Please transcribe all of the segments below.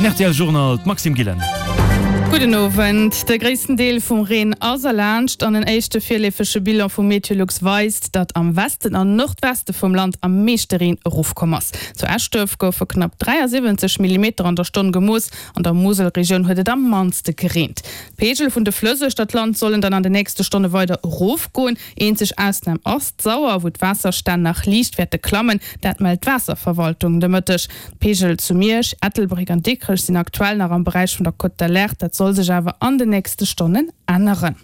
Den rtl Journal, d'Maxime Gillen. Gudden Owend. De gréissten Deel vum Reen ass erlaanscht an en éischte virleefege Bilan vu Meteolux weist, datt am Westen an Nordweste vum Land am meeschte Reen erofkomm ass. Zu Eschduerf goufe knapp 73 Millimeter an der Stonn gemooss, an der Muselregioun huet et am mannste gereent. D'Peegel vun de Flëss uechter d'Land sollen dann an de nächste Stonne weider erofgoen. Eenzeg Ausnam ass d'Sauer, wou d'Waasserstänn nach liicht wäerte klammen, dat mellt d'Waasserverwaltung de Mëtteg. D'Peegel zu Miersch, Ettelbréck an Dikrech sinn aktuell nach am Beräich vun der Cote d'Alerte, dat soll sech awer an den nächste Stonnen änneren.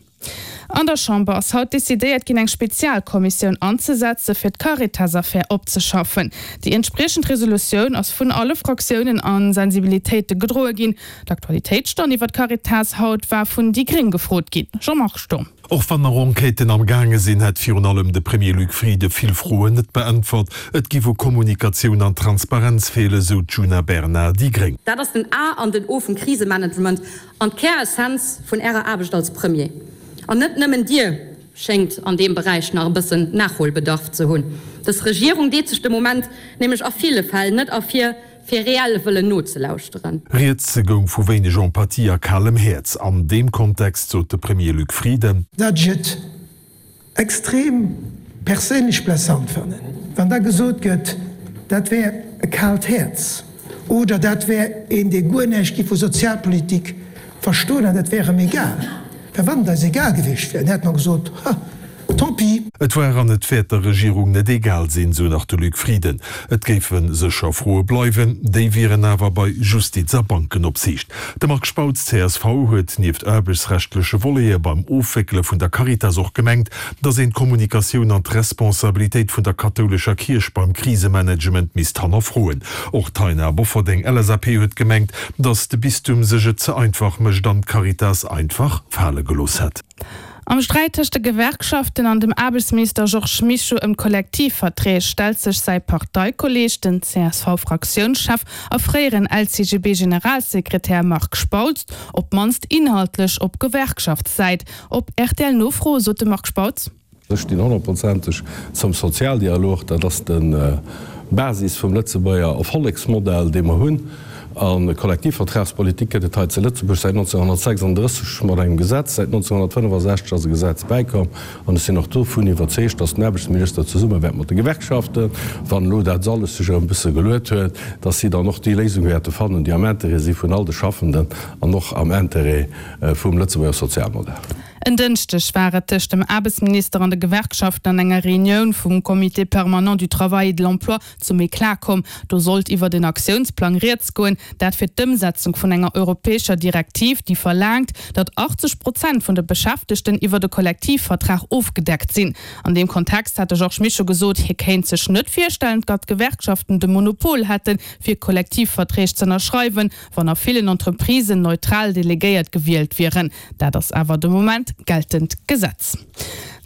An der Chamber ass haut decidéiert ginn, eng Spezialkommissioun anzesetze fir d'Caritas-Affär opzeschaffen. Déi entspriechend Resolutioun ass vun alle Fraktiounen a Sensibilitéite gedroe ginn. D'Aktualitéitsstonn iwwer d'Caritas haut war vun déi gréng gefrot ginn. Jean-Marc Sturm. Och wann nach Enquêten am gaange sinn, hätt virun allem de Premier Luc Frieden vill Froen net beäntwert. Et giff u Kommunikatioun an Transparenz feelen, sou d'Djuna Bernard, déi gréng. Dat ass den A an den O vum Krisemanagement an d'Käressenz vun Ärer Aarbecht als Premier. An net nëmmen Dir schéngt an deem Beräich nach e bëssen Nachholbedarf ze hunn. Dës Regierung deet sech de Moment nämlech a ville Fäll net ervir, fir reell wëllen nozelauschteren. Rieds goung vu wéineg Empathie a kalem Häerz. An deem Kontext sot de Premier Luc Frieden. Datt ech et extrem perséinlech blessant fannen, wann da gesot gëtt, dat wär e kaalt Häerz oder dat wär een, dee guer näischt giff vu Sozialpolitik verstoen an dat wär em egal. Well wann et eis egal gewiescht wär, dann hätte mer gesot, Ha, tant pis. Et war an et wäert der Regierung net egal sinn, sou nach de Luc Frieden. Et géife sécher Froe bleiwen, déi wieren awer bei Justiz a Bankenopsiicht. De Marc Spautz, csv, huet nieft aarbechtsrechtleche Voletë beim Ofwéckele vun der Caritas och gemengt, datt een d'Kommunikatioun an d'Responsabilitéit vun der kathoulescher Kierch beim Krisemanagement misst hannerfroen. Och d'Taina Bofferding, LSAP, huet gemengt, datt de Bistum sech et ze einfach mécht an d'Caritas einfach fale gelooss hätt. Am Sträit tëscht de Gewerkschaften an dem Aarbechtsminister Georges Mischo ëm d'Kollektivverträg stellt sech säi Parteikolleeg, den CSV-Fraktiounschef a fréieren LCGB-Generalsekretär Marc Spautz, op d'mannst inhaltlech op Gewerkschaftssäit. Op RTL-Nofro sot de Marc Spautz. Ech stinn honnertprozenteg zum Sozialdialog. Dat ass de Basis vum Lëtzebuerger Erfollegsmodell, dee mer hunn. A Kollektivvertragspolitik gëtt et hei zu Lëtzebuerg säit 1936 mat engem Gesetz. Säit 1965 ass e Gesetz bäikomm. An ech sinn och dovun iwwerzeegt, datt den Aarbechtsminister zesumme wäert mat de Gewerkschaften, wann elo dat alles sech erëm e bësse geluet huet, datt si dann och déi Léisung wäerte fannen, déi am Intérêt si vun all de Schaffenden an och am Intérêt vum Lëtzebuerger Sozialmodell. En Dënschdeg war et tëscht dem Aarbechtsminister an de Gewerkschaften an enger Reunioun vum Comité permanent du travail et de l'emploi zum Eclat komm. Do sollt iwwert en Aktiounsplang rieds goen, dat fir d'Ëmsetzung vun enger europäescher Direktiv, déi verlaangt, datt 80 Prozent vun de Beschäftegten iwwert e Kollektivvertrag ofgedeckt sinn. An deem Kontext hat de Georges Mischo gesot, hie kéint sech net virstellen, datt d'Gewerkschaften de Monopol hätten, fir Kollektivverträg z'ënnerschreiwen, wann a villen Entreprisen neutral Delegéiert gewielt wieren. Dat ass awer de Moment geltend Gesetz.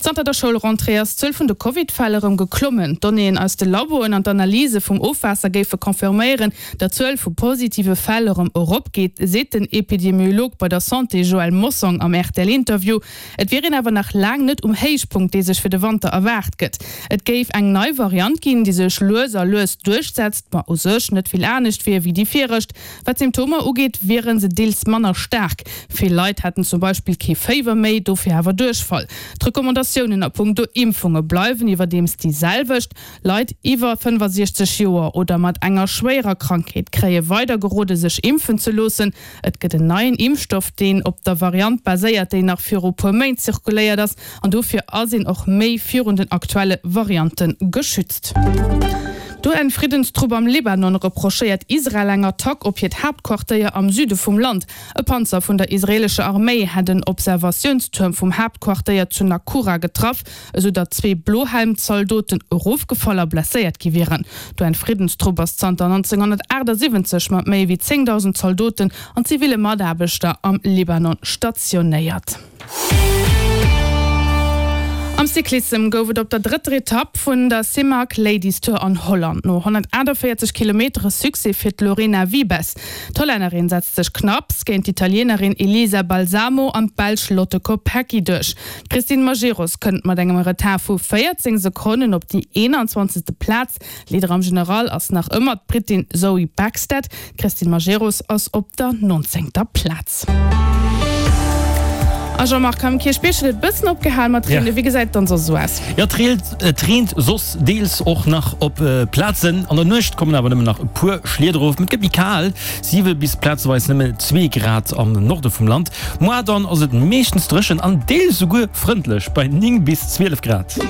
Zanter der Schoulrentrée ass d'Zuel vun de Covid-Fäll erëm geklommen. D'Donnéeën aus de Laboen an d'Analyse vum Ofwaasser géife confirméieren, datt d'Zuel vu positive Fäll erëm eropgeet, seet den Epidemiolog bei der Santé Joël Mossong am RTL-Interview. Et wier een awer nach laang net um Héichpunkt, dee sech fir de Wanter erwaart gëtt. Et géif eng nei Variant ginn, déi sech lues a lues duerchsetzt, ma u sech net vill anescht wier wéi déi viregt. Wat d'Symptomer ugeet, wiere se deels manner staark. Vill Leit hätten zum Beispill kee Féiwer méi, dofir awer Duerchfall. D'Recommandatiounen a punkto Impfunge bleiwen iwwerdeems déi selwecht. Leit iwwer 65 Joer oder mat enger schwéierer Krankheet kréie weider gerode sech impfen ze loossen. Et gëtt en neien Impfstoff, deen op der Variant baséiert, déi nach viru puer Méint zirkuléiert ass an dofir ass een och méi virun den aktuelle Variante geschützt. D'UN-Friddenstrupp am Libanon reprochéiert Israel eng Attack op hiert Haaptquartéier am Süde vum Land. E Panzer vun der israeelescher Arméi hätt en Observatiounstuerm vum Haaptquartéier zu Naqoura getraff, esou datt zwee Blohelm-Zaldoten erofgefall a blesséiert gi wieren. D'UN-Friddenstrupp ass zanter 1978 mat méi wéi 10.000 Zaldoten an ziville Mataarbechter am Libanon stationéiert. Am Cyclissem gouf et op der drëtter Etapp vun der Simac Ladies Tour an Holland no 148 Kilometere Succès fir d'Lorena Wiebes. D'Hollännerin setzt sech knapps géint d'Italienerin Elisa Balsamo an d'Belsch Lotte Kopecky duerch. D'Christine Majerus kënnt mat engem Retard vu 14 Sekonnen op déi 21. Plaz. Leader am General ass nach ëmmer d'Brittin Zoe Bäckstedt. D'Christine Majerus ass op der nonzéngter Plaz. A Jean-Marc, am Kierchbierg huet et bëssen opgehal mat reenen. Wéi gesäit et dann soss esou aus? Jo, et reent soss deels och nach op Plazen. An der Nuecht kommen awer nëmmen nach e puer Schlieder erof. Et gëtt méi kal, 7 bis plazeweis nëmme 2 Grad am Norde vum Land. Moar dann ass et meeschtens dréchen an deels esouguer frëndlech bei 9 bis 12 Grad.